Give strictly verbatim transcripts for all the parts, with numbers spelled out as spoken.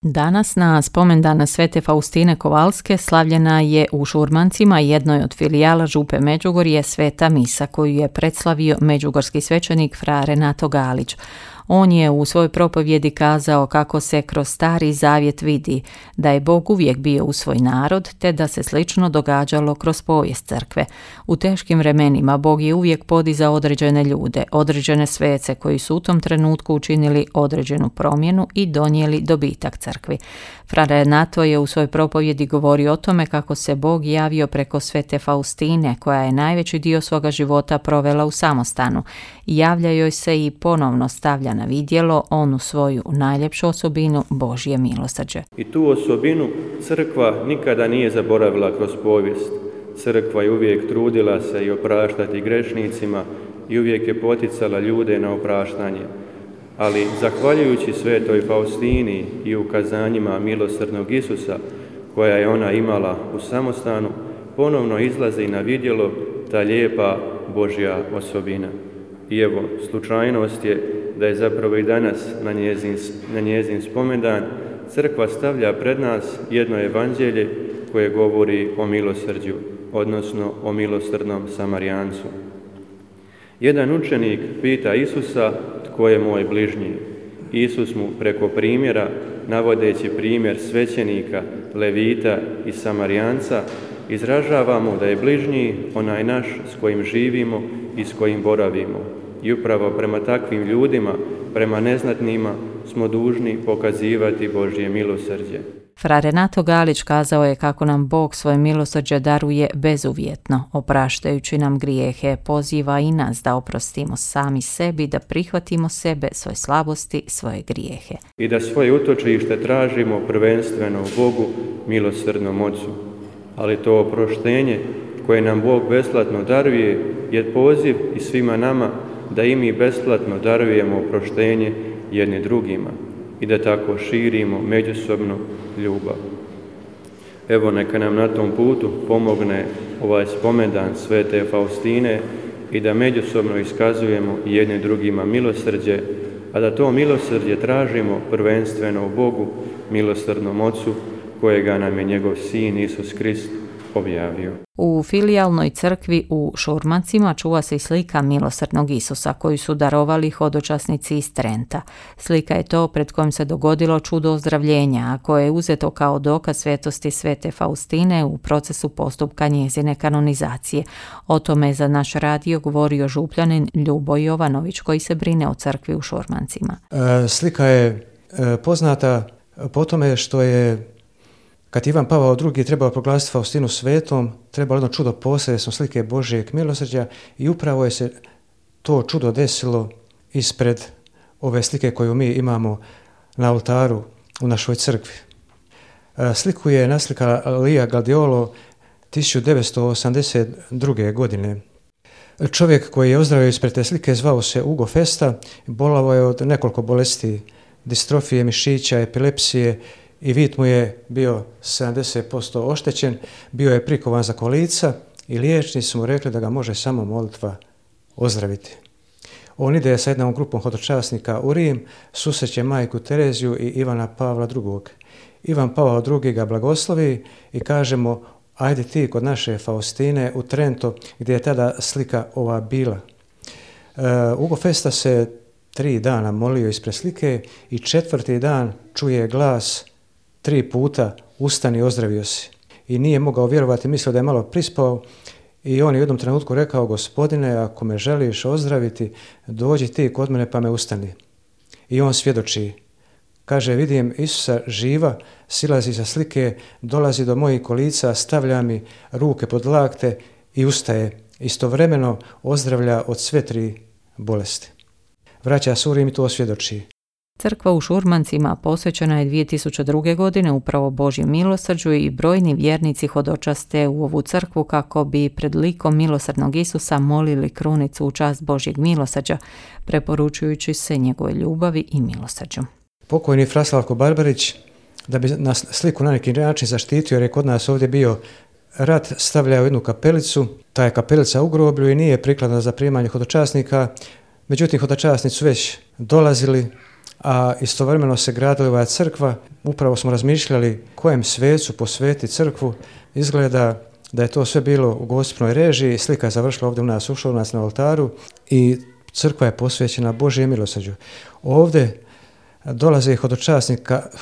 Danas na spomendan Svete Faustine Kovalske slavljena je u Šurmancima, jednoj od filijala Župe Međugorje, sveta misa koju je predslavio međugorski svećenik fra Renato Galić. On je u svojoj propovjedi kazao kako se kroz Stari Zavjet vidi da je Bog uvijek bio uz svoj narod, te da se slično događalo kroz povijest crkve. U teškim vremenima Bog je uvijek podizao određene ljude, određene svece koji su u tom trenutku učinili određenu promjenu i donijeli dobitak crkvi. Fra Renato je u svojoj propovjedi govorio o tome kako se Bog javio preko Svete Faustine, koja je najveći dio svoga života provela u samostanu. Javlja joj se i ponovno stavlja na vidjelo onu svoju najljepšu osobinu, Božje milosrđe. I tu osobinu crkva nikada nije zaboravila kroz povijest. Crkva je uvijek trudila se i opraštati grešnicima i uvijek je poticala ljude na opraštanje. Ali zahvaljujući Svetoj Faustini i ukazanjima milosrdnog Isusa, koja je ona imala u samostanu, ponovno izlazi na vidjelo ta lijepa Božja osobina. I evo, slučajnost je da je zapravo i danas na njezin, na njezin spomendan crkva stavlja pred nas jedno evanđelje koje govori o milosrđu, odnosno o milosrdnom Samarijancu. Jedan učenik pita Isusa tko je moj bližnji. Isus mu preko primjera, navodeći primjer svećenika, levita i Samarijanca, izražava mu da je bližnji onaj naš s kojim živimo i s kojim boravimo. I upravo prema takvim ljudima, prema neznatnima, smo dužni pokazivati Božje milosrđe. Fra Renato Galić kazao je kako nam Bog svoje milosrđe daruje bezuvjetno, opraštajući nam grijehe, poziva i nas da oprostimo sami sebi, da prihvatimo sebe, svoje slabosti, svoje grijehe. I da svoje utočište tražimo prvenstveno u Bogu, milosrdnom Ocu. Ali to oproštenje koje nam Bog besplatno daruje je poziv i svima nama da i mi besplatno darujemo oproštenje jedni drugima i da tako širimo međusobnu ljubav. Evo, neka nam na tom putu pomogne ovaj spomendan Svete Faustine i da međusobno iskazujemo jedni drugima milosrđe, a da to milosrđe tražimo prvenstveno u Bogu, milosrdnom Ocu, kojega nam je njegov Sin Isus Krist objavio. U filijalnoj crkvi u Šurmancima čuva se i slika milosrdnog Isusa koju su darovali hodočasnici iz Trenta. Slika je to pred kojim se dogodilo čudo ozdravljenja, a koje je uzeto kao dokaz svetosti Svete Faustine u procesu postupka njezine kanonizacije. O tome je za naš radio govorio župljanin Ljubo Jovanović koji se brine o crkvi u Šurmancima. E, slika je e, poznata po tome što je kad Ivan Pavao drugi trebao proglasiti Faustinu svetom, trebalo jedno čudo posredstvom slike Božjeg milosrđa i upravo je se to čudo desilo ispred ove slike koju mi imamo na oltaru u našoj crkvi. Sliku je naslikala Lija Galdiolo tisuću devetsto osamdeset druge. godine. Čovjek koji je ozdravio ispred te slike zvao se Ugo Festa, bolovao je od nekoliko bolesti, distrofije mišića, epilepsije, i vid mu je bio sedamdeset posto oštećen, bio je prikovan za kolica i liječnici su mu rekli da ga može samo molitva ozdraviti. On ide sa jednom grupom hodočasnika u Rim, susreće majku Tereziju i Ivana Pavla drugog. Ivan Pavao drugi ga blagoslovi i kaže mu, ajde ti kod naše Faustine u Trento gdje je tada slika ova bila. Uh, Ugo Festa se tri dana molio ispred slike i četvrti dan čuje glas tri puta, ustani, ozdravio si. I nije mogao vjerovati, mislio da je malo prispao i on je u jednom trenutku rekao, Gospodine, ako me želiš ozdraviti, dođi ti kod mene pa me ustani. I on svjedoči. Kaže, vidim Isusa živa, silazi sa slike, dolazi do mojih kolica, stavlja mi ruke pod lakte i ustaje. Istovremeno ozdravlja od sve tri bolesti. Vraća se u Rim i to svjedoči. Crkva u Šurmancima posvećena je dvije tisuće druge. godine upravo Božjem milosrđu i brojni vjernici hodočaste u ovu crkvu kako bi pred likom milosrdnog Isusa molili krunicu u čast Božjeg milosrđa, preporučujući se njegove ljubavi i milosrđu. Pokojni fra Slavko Barbarić, da bi nas sliku na neki način zaštitio, jer je kod nas ovdje bio rat, stavljao jednu kapelicu, ta je kapelica u groblju i nije prikladna za primanje hodočasnika, međutim hodočasnici su već dolazili a istovremeno se gradila ova crkva. Upravo smo razmišljali kojem svecu posveti crkvu. Izgleda da je to sve bilo u gospinoj režiji, slika je završila ovdje u nas, ušla u nas na oltaru i crkva je posvećena Božjem milosrđu. Ovdje dolaze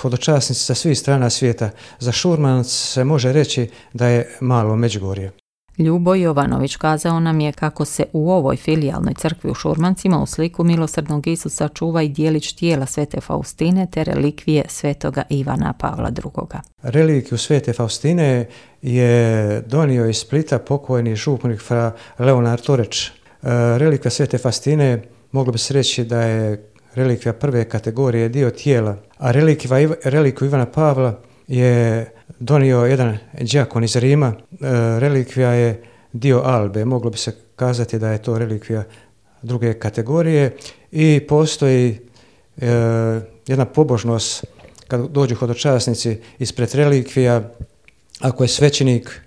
hodočasnici sa svih strana svijeta. Za Šurmanac se može reći da je malo Međugorje. Ljubo Jovanović kazao nam je kako se u ovoj filijalnoj crkvi u Šurmancima u sliku milosrdnog Isusa čuva i dijelić tijela svete Faustine te relikvije svetoga Ivana Pavla drugoga. Relikviju svete Faustine je donio iz Splita pokojni župnik fra Leonard Toreč. Relikvija svete Faustine moglo bi se reći da je relikvija prve kategorije, dio tijela, a relikviju Ivana Pavla je donio jedan đakon iz Rima. Relikvija je dio albe, moglo bi se kazati da je to relikvija druge kategorije i postoji e, jedna pobožnost kad dođu hodočasnici ispred relikvija. Ako je svećenik,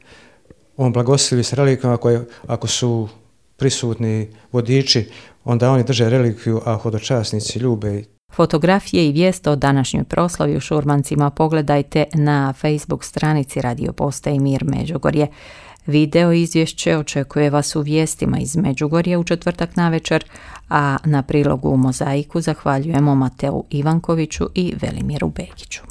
on blagoslovi s relikvijama, ako, je, ako su prisutni vodiči, onda oni drže relikviju, a hodočasnici ljube. Fotografije i vijest o današnjoj proslavi u Šurmancima pogledajte na Facebook stranici Radio Postaje Mir Međugorje. Video izvješće očekuje vas u vijestima iz Međugorja u četvrtak navečer, a na prilogu u mozaiku zahvaljujemo Mateu Ivankoviću i Velimiru Begiću.